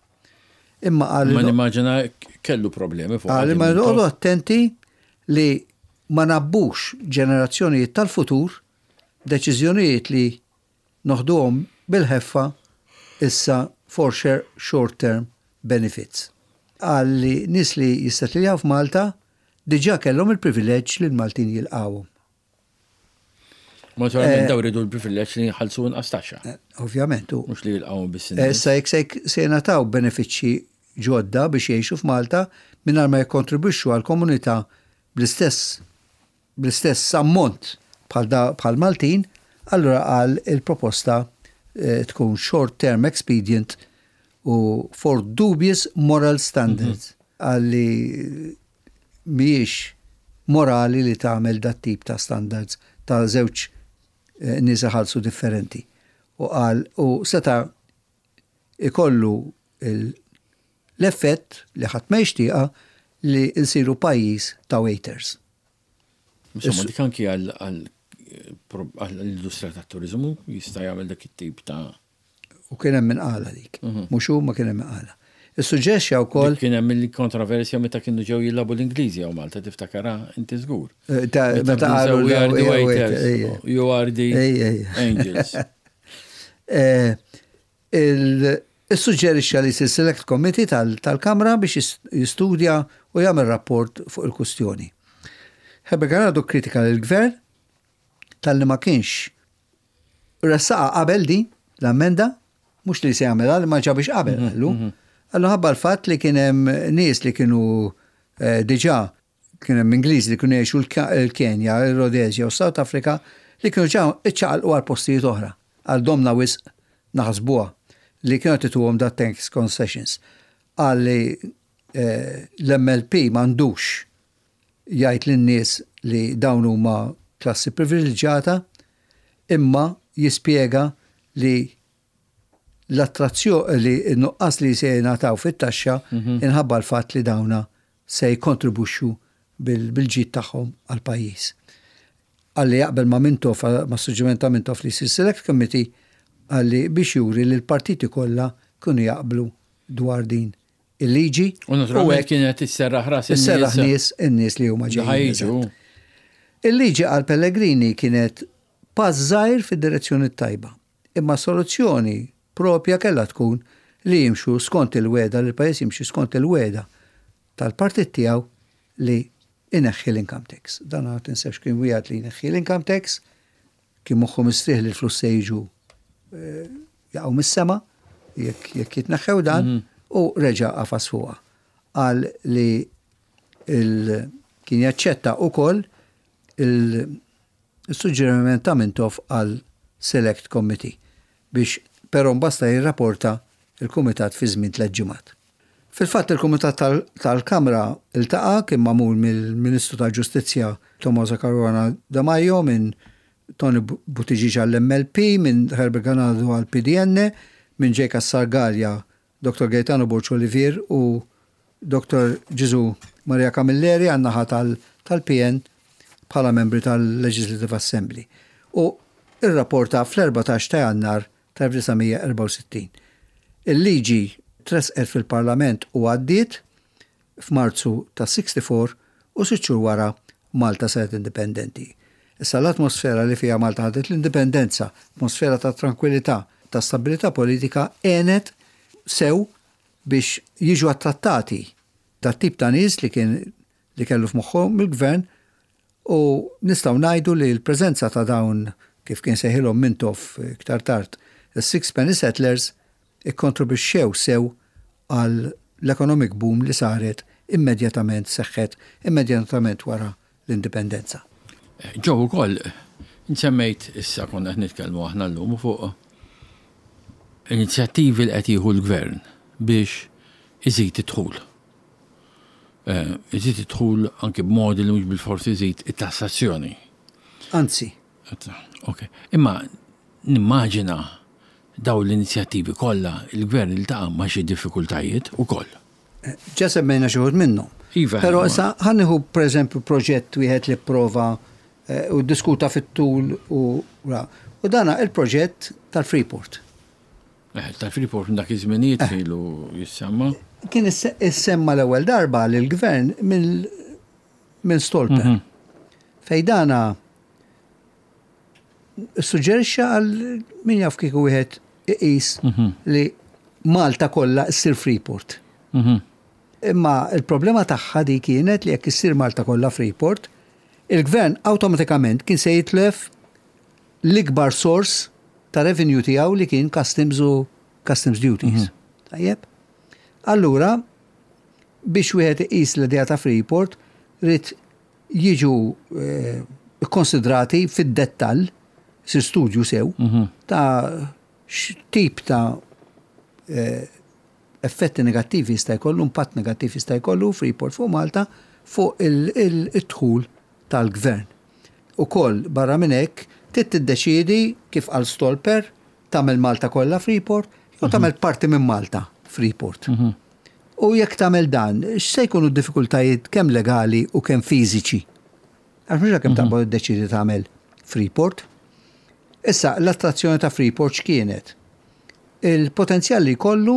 Imma qal. Ma nimmaġina kellu problemi fuq. Qal imma noqogħdu attenti li ma nabbux ġenerazzjonijiet tal-futur deċiżjonijiet li noħduhom bil-ħeffa issa for short term benefits. Qal li nies li jissettiljaw f'Malta diġà kellhom il-privileġġ li l-Maltin jilqgħuhom. Naturalment eh, daw ridu l-privileġġ li jħallsu inqas taxxa. Eh, ovvjament. Mhux li jilqgħu biss. Eh, issa jekk se jingħataw benefiċċji ġodda biex jgħixu f'Malta mingħajr ma jikkontribwixxu għall-komunità bl-istess bl-istess ammont bħal Maltin, allura qal il-proposta tkun short term expedient u for dubious moral standards. Mhm. Qal li mhijiex morali li tagħmel dat-tip ta' standards ta' żewġ eh, nies iħallsu differenti. U qal u seta' ikollu l-effett li ħadd ma jixtieqha li nsiru pajjiż ta' waiters. Insomma, dik anki għall-industrija tat-turiżmu jista' jagħmel dak it-tip ta' U kien hemm min qalha dik. Mhm. Mhux hu ma kien hemm min qalha. Issuġġerixxa wkoll. Kien hemm il-kontroversja meta kienu ġew jilagħbu l-Ingliżi hawn Malta tiftakarha inti żgur. Eh, meta qalu we are the waiters, you are the angels. Eh, Issuġġerixxa li jsir Select Committee tal-Kamra biex jistudja u jagħmel rapport fuq il-kustjoni. Herbert Ganado kkritika lill-Gvern talli ma kienx ressaqha qabel din l-ammenda, mhux li se jagħmilha li ma ġabix qabel mhm, qallu. Mhm. Qallu ħabba l-fatt li kien hemm nies li kienu eh, diġà kien hemm Ingliżi li kienu jgħixu l-Kenja, il-Rhodesia u South Africa li kienu ġa iċċaqalqu għal postijiet oħra, għal domna wisq naħsbuha li kienu qed ituhom da tax concessions. Qal li eh, l-MLP m'għandux jgħid lin-nies li dawn huma klassi privileġġjata imma jispjega li l-attrazzjo li n-nuqqas li se jingħataw fit-taxxa mhm. inħabba l-fatt li dawna se jikkontribwixxu bil-ġid tagħhom għall-pajjiż. Qalli jaqbel ma' Mintoff, mas-suġġeriment ta' Mintoff li jsir Select Committee, qalli biex juri li l-partiti kollha kienu jaqblu dwar din il-liġi. U naturalment kienet isserraħ ras in-nies. Isserraħ nies in-nies li huma ġejjin. Il-liġi għal Pellegrini kienet pass żgħir fid-direzzjoni t-tajba. Imma s-soluzzjoni proprja kellha tkun li jimxu skont il-wegħda, li l-pajjiż jimxi skont il-wegħda tal-partit tiegħu li jneħħi l-income tax. Dan ma tinsewx kien wiegħed li jneħħi l-income tax, kien moħħu mistrieħ li l-flus se jiġu eh, jaqgħu mis-sema jekk jitneħħew dan mhm. u reġa' qafas fuqha. Qal li kien jaċċetta ukoll il Is-suġġeriment ta' Mintoff għal Select Committee biex però mbasta jirraporta l-Kumitat fi żmien tlett ġimgħat. Fil-fatt il-Kumitat tal-Kamra ltaqa' kien magħmul mill-Ministru tal-Ġustizzja Tommaso Caruana Demajo, minn Tony Buttigieg għall-MLP, minn Herbert Ganado għall-PDN, minn Jake Cassar Galea Dottor Gaetano Borg Olivier u Dottor Ġiżù Maria Camilleri għan-naħa tal-PN bħala membri tal-Legislative Assembly u rrapporta fl-14 ta' Jannar tal-1964. Il-liġi tressqet fil-Parlament u għaddiet f'Marzu tas-64 u sitt xhur wara Malta saret indipendenti. Issa l-atmosfera li fiha Malta ħadet l-indipendenza, atmosfera ta' trankwilità, ta' stabbilità politika għenet sew biex jiġu attrattati dat-tip ta' nies li kien li kellu f'moħħhom il-gvern u nistgħu ngħidu li l-preżenza ta' dawn kif kien sejħilhom Mintoff iktar tard, is-sixpenny settlers ikkontribwixxew sew għal l-economic boom li saret immedjatament seħħet immedjatament wara l-indipendenza. Ġew ukoll, semmejt issa konna qed nitkellmu aħna llum fuq inizjattivi li qed jieħu l-gvern biex iżid id-dħul. Eh, iżid id-dħul anki b'modi li mhux bilfors iżid it-tassazzjoni. Anzi. Ok. Imma nimmaġina dawn l-inizjattivi kollha il-gvern iltaqa' ma' xi diffikultajiet ukoll. Ġa semmejna xi wħud minnhom. Iva. Però issa ħa nieħu pereżempju proġett wieħed li pprova eh, u diskuta fit-tul u u dana il-proġett tal-Freeport. Eh, tal-Freeport minn dak iż-żminijiet eh. ilu jissemma. Kien issemma l-ewwel darba lill-gvern minn Stolper. Mhm. Fej dana Suġġerixxa għal min jaf kieku wieħed iqis mhm. li Malta kollha ssir Freeport. Mhm. Imma il-problema tagħha di kienet li jekk issir Malta kollha Freeport, il-gvern awtomatikament kien se jitlef l-ikbar sors ta' revenue tiegħu li kien customs u customs duties. Mhm. Tajjeb? Allura, biex wieħed iqis l-idea ta' Freeport, rrid jiġu kkonsidrati fid-dettall, isir studju sew, ta' x'tip ta' effetti negattivi jista' jkollu, impatt negattiv jista' jkollu Freeport fuq Malta fuq id-dħul tal-gvern. Ukoll barra minn hekk, trid tiddeċiedi kif qal Stolper, tagħmel Malta kollha Freeport jew tagħmel parti minn Malta Freeport. U jekk tagħmel dan, x'se jkunu d-diffikultajiet kemm legali u kemm fiżiċi? Għax mhux kemm taqbad iddeċiedi tagħmel Freeport. Issa, l-attrazzjoni ta' Freeport x'kienet? Il-potenzjal li jkollu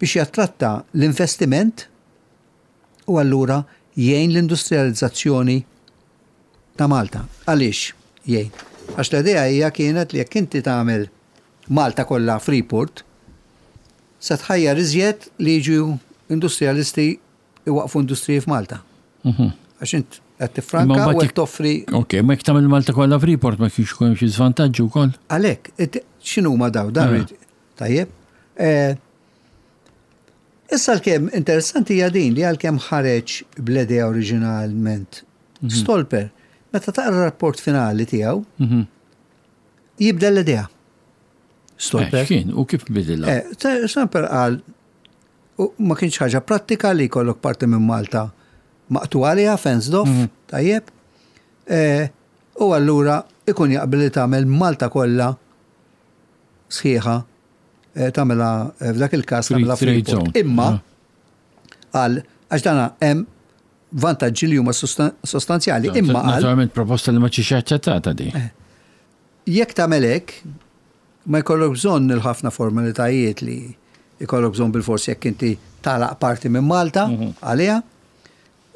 biex jattratta l-investiment u allura jgħin l-industrializzazzjoni ta' Malta. Għaliex jgħin? Għax l-idea hija kienet li jekk inti tagħmel Malta kollha Freeport, Se tħajjar iżjed li jiġu industrijalisti iwaqqfu industriji f'Malta. Mhm. Għax int qed tiffranka u qed toffri. Ok, ma jekk tagħmel Malta kollha Freeport ma kienx ikun hemm xi żvantaġġi wkoll. Għalhekk, x'inhuma daw dan eh. tajjeb. Eh, issa l-kemm interessanti hija din li għalkemm ħareġ bl-idea oriġinalment mhm. Stolper, meta taqra rapport finali tiegħu, mhm. jibdel l-idea. Stolper. Eh, x'kien u kif bidilha? Eh, Stolper qal ma kienx ħaġa prattika li jkollok parti minn Malta maqtu għaliha, fenced off, mhm. tajjeb. Eh, u allura ikun jaqbel li tagħmel Malta kollha sħiħa tagħmilha f'dak il-każ tagħmilha free zone. Imma ah. għal għax dana hemm vantaġġi li huma sostanzjali. Imma naturalment proposta li ma ġiex aċċettata di. Jekk tagħmel hekk, ma jkollok bżonn il-ħafna formalitajiet li jkollok bżonn bilfors jekk inti tagħlaq parti minn Malta għaliha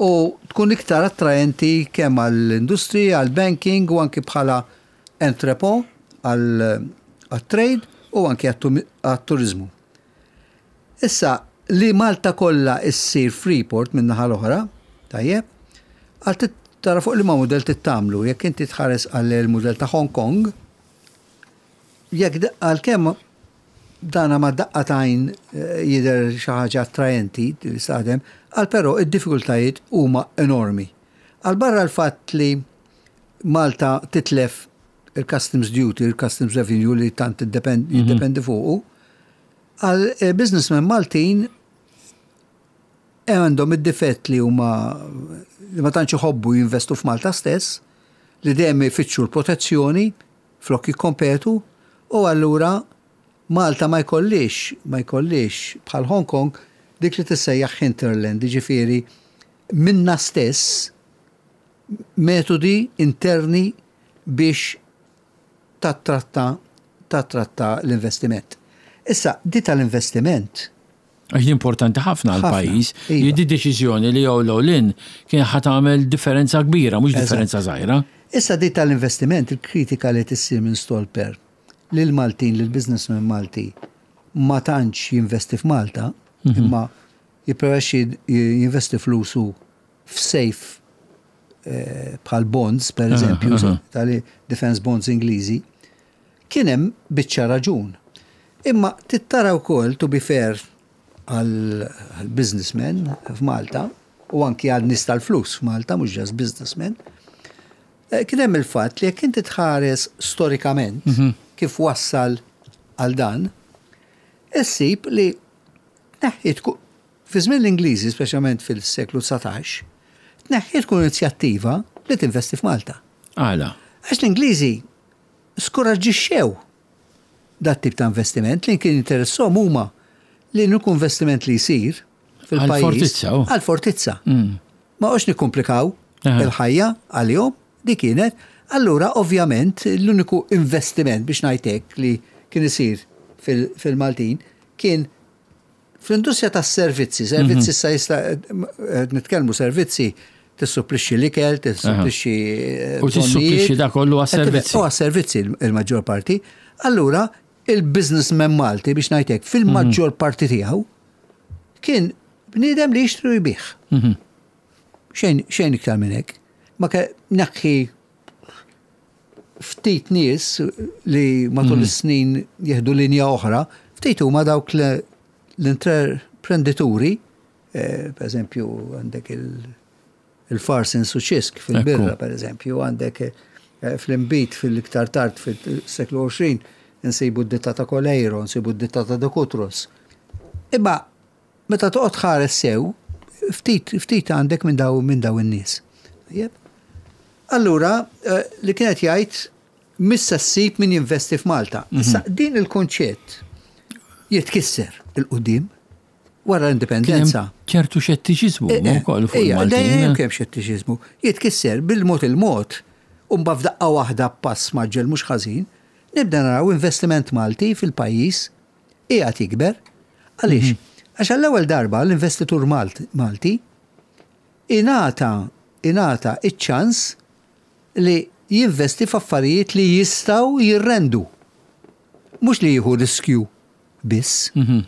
u tkun iktar attraenti kemm għall-industriji, għall-banking u anki bħala entrepot għat-trade u anki għat-turiżmu. Issa, li Malta kollha issir Freeport min-naħa l-oħra, tajjeb, għal trid tara fuq liema mudell trid tagħmlu. Jekk inti tħares għal il-mudell ta' Hong Kong, jekk għalkemm dana ma' daqqa t'għajn eh, jidher xi ħaġa attraenti li taħdem, għal però id-diffikultajiet huma enormi. Għal barra l-fatt li Malta titlef il-customs duty, il-customs revenue li tant jiddependi fuqu, Għal eh, businessmen Maltin eh, għandhom id-difett li huma li ma tantx iħobbu jinvestu f'Malta stess, li dejjem ifittxu l-protezzjoni flok jikkompetu u allura Malta ma jkollix, ma jkollix bħal Hong Kong dik li tissejjaħ hinterland, jiġifieri minna stess metodi interni biex tattratta tattratta l-investiment. Issa, di tal-investiment. Għax di importanti ħafna għal pajjiż. Iva. Di deċiżjoni li jew l-in kien ħa tagħmel differenza kbira, mhux differenza żgħira. Issa di tal-investiment, il-kritika li tissir minn Stolper lil Maltin, lil businessman Malti ma tantx jinvesti f'Malta, mhm. imma jippreferixxi jinvesti flusu f'safe eh, bħal bonds, per eżempju, tali defense bonds Ingliżi, kien hemm biċċa raġun. Imma tittara wkoll, to be fair, għal businessmen f'Malta, u anki għal nies tal-flus f'Malta, mhux just businessmen, eh, kien hemm il-fatt li jekk inti tħares storikament mhm. kif wassal għal dan, issib li tneħħiet fi żmien l-Ingliżi, speċjalment fil-seklu 19, tneħħiet kull inizjattiva li tinvesti f'Malta. Għala. Għax l-Ingliżi skoraġġixxew dat tip ta' investiment li kien interessom huma li l-uniku investiment li jsir fil-pajjiż. Għal-fortizza. Oh. Għal-fortizza. Mm. Ma għox nikkomplikaw il-ħajja għalihom, dik kienet. Allura, ovvjament, l-uniku investiment biex ngħidlek li kien isir fil-Maltin kien fl-industrija tas-servizzi, servizzi mhm. issa jista' eh, nitkellmu servizzi tissupplixxi l-ikel, tissupplixxi. Eh, u tissupplixxi da kollu għas-servizzi. U għas-servizzi il-maġġor parti. Allura, il-businessman Malti biex ngħidlek fil-maġġor mhm. parti tiegħu kien bniedem li jixtri u jbigħ. Mhm. Xejn xejn iktar minn hekk. Ma neħħi ftit nies li matul mhm. is-snin jieħdu linja oħra, ftit huma dawk l-intraprenditori, eh, per eżempju għandek il-Farsons u Cisk fil-birra, per eżempju, għandek eh, fl-imbit fil-iktar tard fil-seklu 20, nsibu d-ditta ta' Coleiro, nsibu d-ditta ta' De Cutros. Imma meta toqgħod ħares sew, ftit ftit għandek minn daw minn daw in-nies. Allura, eh, li kienet jgħid missa ssib min jinvesti f'Malta. Mhm. Issa din il-konċett jitkisser il-qudiem wara l-indipendenza. ċertu xettiċiżmu eh, eh, wkoll fuq il-Maltin. Dejjem kemm xettiċiżmu. Jitkisser bil-mod il-mod u mbagħad f'daqqa waħda pass maġġel mhux ħażin, nibda naraw investiment Malti fil-pajjiż qiegħed jikber. Għaliex? Mhm. Għax għall-ewwel darba l-investitur Malti ingħata ingħata iċ-ċans li jinvesti f'affarijiet li jistgħu jirrendu. Mhux li jieħu riskju biss. Mhm.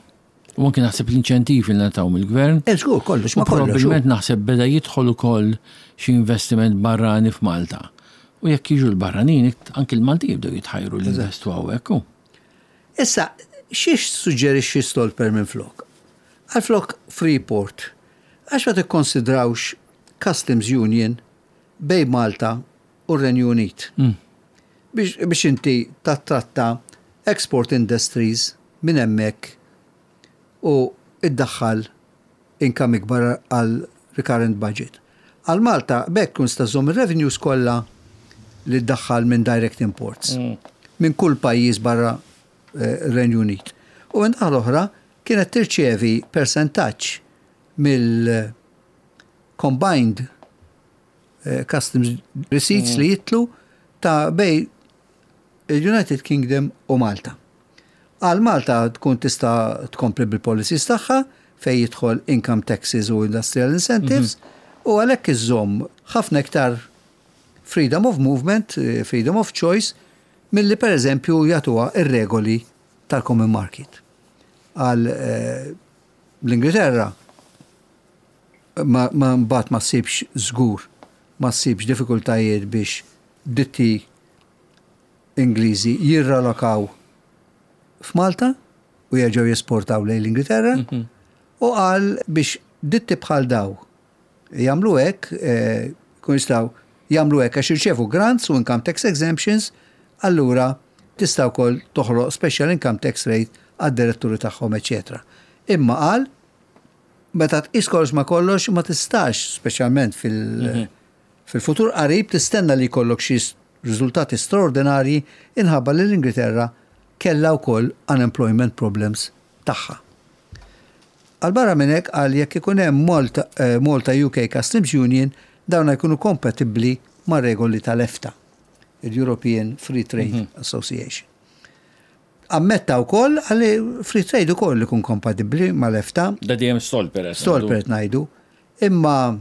U anke naħseb l-inċentivi li ngħataw mill-gvern. Eh, żgur, kollox ma kollox. Probabbilment naħseb beda jidħol ukoll xi investiment barrani f'Malta. U jekk jiġu l-barranin, anke l-Malti jibdew jitħajru li investu hawnhekk. Issa, xiex suġġerixxi Stolper minn flok? Għal flok Freeport, għax ma tikkonsidrawx Customs Union bejn Malta u r-Renju Unit. Mm. Biex, biex inti tattratta export industries minn hemmhekk u iddaħħal income ikbar għal recurrent budget. Għal Malta b'hekk tkun tista' żżomm ir-revenues kollha li ddaħħal minn direct imports. Mm. Minn kull pajjiż barra eh, Renju Unit. U minn l-oħra kienet tirċievi persentaġġ mill combined eh, customs receipts mm. li jitlu ta' bejn il-United Kingdom u Malta. Għal Malta tkun tista' tkompli bil-policies tagħha fejn jidħol income taxes u industrial incentives mm -hmm. u għalhekk iżżomm ħafna iktar freedom of movement, eh, freedom of choice, milli per eżempju jagħtuha ir-regoli tal-common market. Għal eh, l-Ingilterra ma mbagħad ma ssibx żgur, ma ssibx diffikultajiet biex ditti Ingliżi jirralokaw f'Malta u jerġgħu jesportaw lejn l-Ingilterra mhm. u qal biex ditti bħal daw jagħmlu hekk, eh, kun jistgħu jagħmlu hekk għax jirċevu grants u income tax exemptions, allura tista' wkoll toħloq special income tax rate għad-diretturi tagħhom, eċetera. Imma qal meta tqis kollox ma kollox ma tistax, speċjalment fil- mhm. fil-futur qarib tistenna li jkollok xi riżultati straordinarji inħabba li l-Ingilterra kellha wkoll unemployment problems tagħha. Għal barra minn hekk qal jekk ikun hemm Malta, eh, Malta UK Customs Union dawn jkunu kompatibbli ma' regoli tal-EFTA, il-European Free Trade mm -hmm. Association. Ammetta wkoll għalli free trade ukoll ikun kompatibbli mal-EFTA. Da dejjem Stolper. Stolper ngħidu. Imma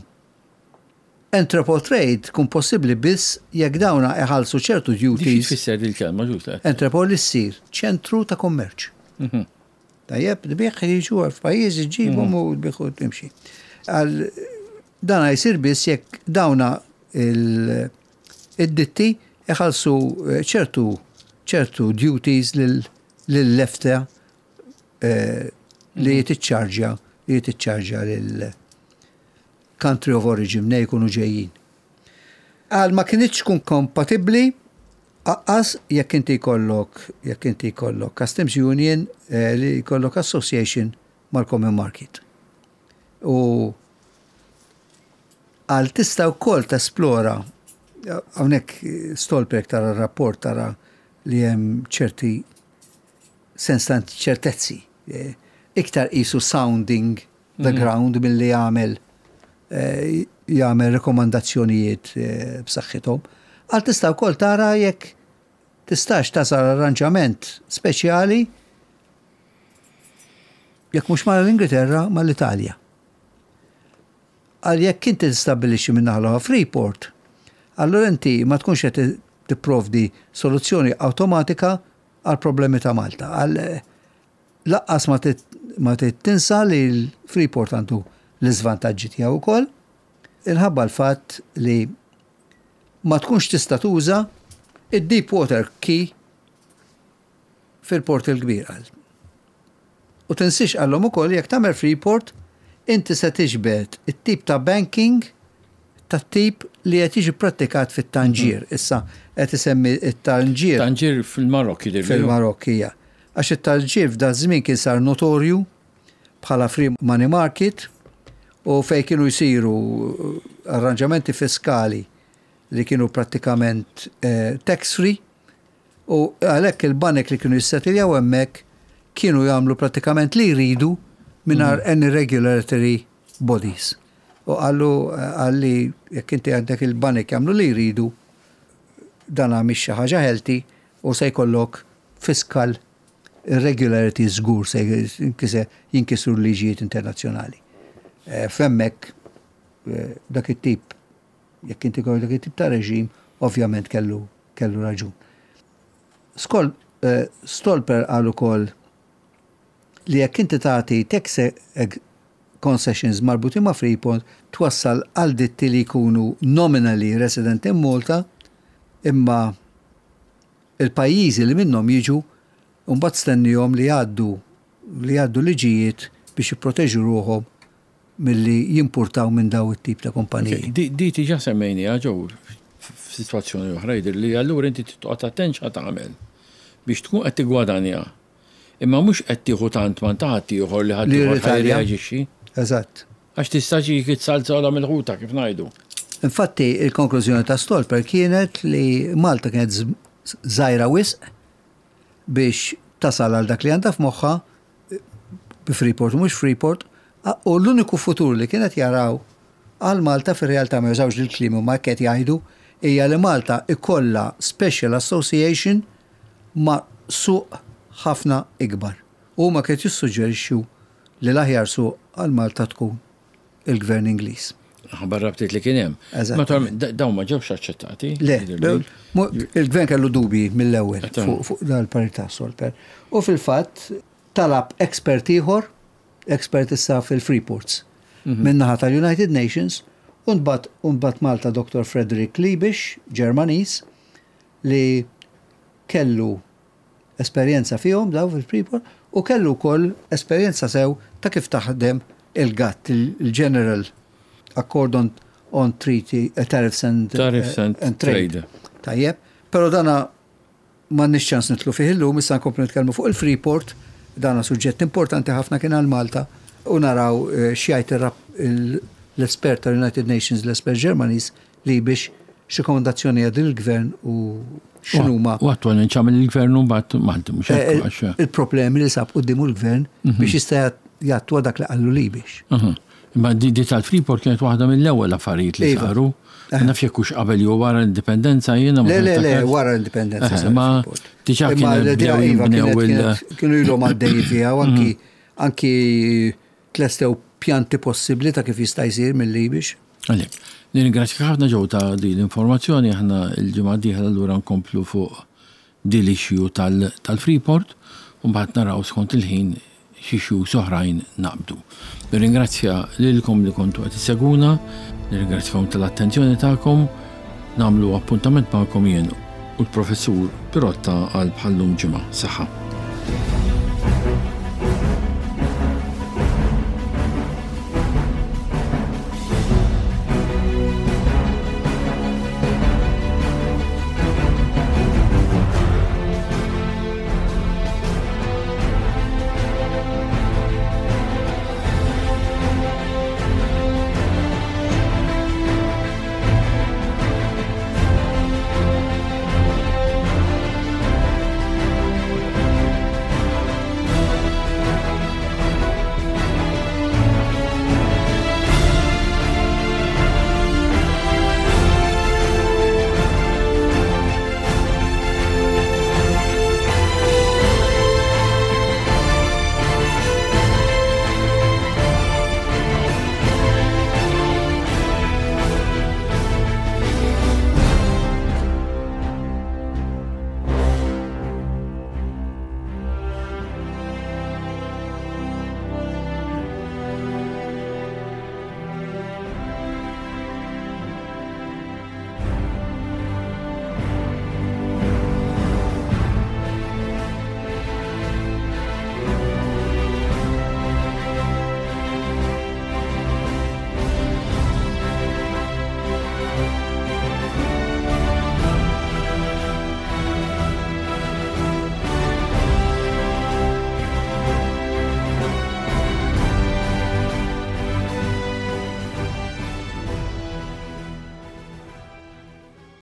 entrepot trade tkun possibbli biss jekk dawna iħallsu ċertu duties. Tfisser dil-kelma ġusta. Entrepot li ssir ċentru ta' kummerċ. Mhm. Tajjeb, tbigħ jiġu f'pajjiżi ġibhom mhm. u tbigħ u timxi. Għal dan jsir biss jekk dawna id-ditti iħallsu eh, ċertu ċertu duties lill-EFTA eh, li mhm. tiċċarġja li tiċċarġja lil country of origin mnej jkunu ġejjin. Qal ma kinitx tkun kompatibbli aqqas jekk inti jkollok jekk inti jkollok Customs Union li jkollok association mal-Common Market. U qal tista' wkoll tesplora hawnhekk Stolper tara r-rapport tara li hemm ċerti sens ta' ċertezzi. Iktar qisu sounding the ground milli jagħmel jagħmel rekomandazzjonijiet b'saħħithom. Għal tista' wkoll tara jekk tistax tasal arranġament speċjali jekk mhux mal-Ingilterra mal-Italja. Għal jekk inti tistabbilixxi minn naħa l-oħra Freeport, allura inti ma tkunx qed tipprovdi soluzzjoni awtomatika għal problemi ta' Malta. Għal Laqqas ma trid tinsa li l-Freeport għandu l-iżvantaġġi tiegħu wkoll, inħabba l-fatt li ma tkunx tista' tuża id-deep water quay fil-Port il-Kbir, qal. U tinsiex qallhom ukoll jekk tagħmel Freeport inti se tiġbed it-tip ta' banking tat-tip li qed jiġi pprattikat fit-Tanġier. Issa qed isemmi t-Tanġier. Tanġier fil-Marokk jidhirli. Fil-Marokk hija. Għax it-Tanġier f'daż-żmien kien sar notorju bħala free money market u fejn kienu jsiru arranġamenti fiskali li kienu prattikament tax free u għalhekk il-banek li kienu jissetiljaw hemmhekk kienu jagħmlu prattikament li jridu mingħajr any regulatory bodies. U qallu qal li jekk inti għandek il-banek jagħmlu li jridu dan mhix xi ħaġa healthy u se jkollok fiscal irregularity żgur se jinkisru l-liġijiet internazzjonali. F'hemmhekk dak it-tip jekk inti jkollok dak it-tip ta' reġim ovvjament kellu kellu raġun. Skol Stolper qal ukoll li jekk inti tagħti tax concessions marbutin ma' Freeport twassal għal ditti li jkunu nominally resident in Malta imma il-pajjiżi li minnhom jiġu mbagħad stennihom li jgħaddu li jgħaddu liġijiet biex jipproteġu ruħhom milli jimpurtaw minn daw it-tip ta' kumpaniji. Di diġà semmejniha Joe f'sitwazzjoni oħra jidhirli allura inti trid toqgħod attent x'ħa tagħmel biex tkun qed tiggwadanja Imma mhux qed tieħu tant m'għand ta' ħaddieħor li ħaddieħor ħa jirreaġixxi. Eżatt. Għax tista' ġik it-salzola mill-ħuta kif ngħidu. Infatti, il-konklużjoni ta' Stolper kienet li Malta kienet żgħira wisq biex tasal għal dak li għandha f'moħħha bi Freeport u mhux Freeport, u l-uniku futur li kienet jaraw għal Malta fir-realtà ma jużawx dil-kliem imma hekk qed jgħidu hija li Malta ikollha special association ma' suq ħafna ikbar. U huma kienu jissuġġerixxu li l-aħjar suq għal Malta tkun il-Gvern Ingliż. Ħabba r-rabtiet li kien hemm. Eżattament. Dawn ma ġewx aċċettati. Le, il-Gvern kellu dubji mill-ewwel fuq dan il-parir ta' Stolper. U fil-fatt talab expert ieħor, expert issa fil-Freeports, min-naħa tal-United Nations, u ntbagħat Malta Dr. Frederick Liebisch, Ġermaniż, li kellu esperjenza fihom daw fil-Freeport u kellu wkoll esperjenza sew ta' kif taħdem il-GATT, il-General Accord on, on Treaty, eh, Tariffs and, Tariffs and, eh, and Trade. Tajjeb, però dana m'għandniex ċans nitlu fih illum, issa nkomplu nitkellmu fuq il-Freeport, dana suġġett importanti ħafna kien għal Malta u naraw eh, x'jgħid l-espert tal-United Nations, l-espert Ġermaniż, li biex x'rikomandazzjoni għad il-gvern u x'inhuma. U attwalment x'għamel il-gvern u mbagħad Malti mhux hekk eh, għax. Il-problemi li sab quddiemu l-gvern mhm. biex jista' jattwa dak li qallu li biex. Mhm. Imma di tal-Freeport kienet waħda mill-ewwel affarijiet li iva. saru. Eh. Naf jekk hux qabel jew wara l-indipendenza jiena ma. Le, le, le, wara l-indipendenza. Eh, ma diġà kienu iva, kienu ilhom għaddej fiha u anki mhm. anki tlestew pjanti possibbli ta' kif jista' jsir mill-Libix. Għalhekk, nirringrazzjak ħafna Joe ta' din l-informazzjoni, aħna l-ġimgħa d-dieħla allura nkomplu fuq din l-issue tal-Freeport u mbagħad naraw skont il-ħin xi issues oħrajn naqbdu. Nirringrazzja lilkom li kontu qed issegwuna, nirringrazzjakom tal-attenzjoni tagħkom, nagħmlu appuntament magħkom jien u l-Professur Pirotta għal bħal-lum ġimgħa. Saħħa.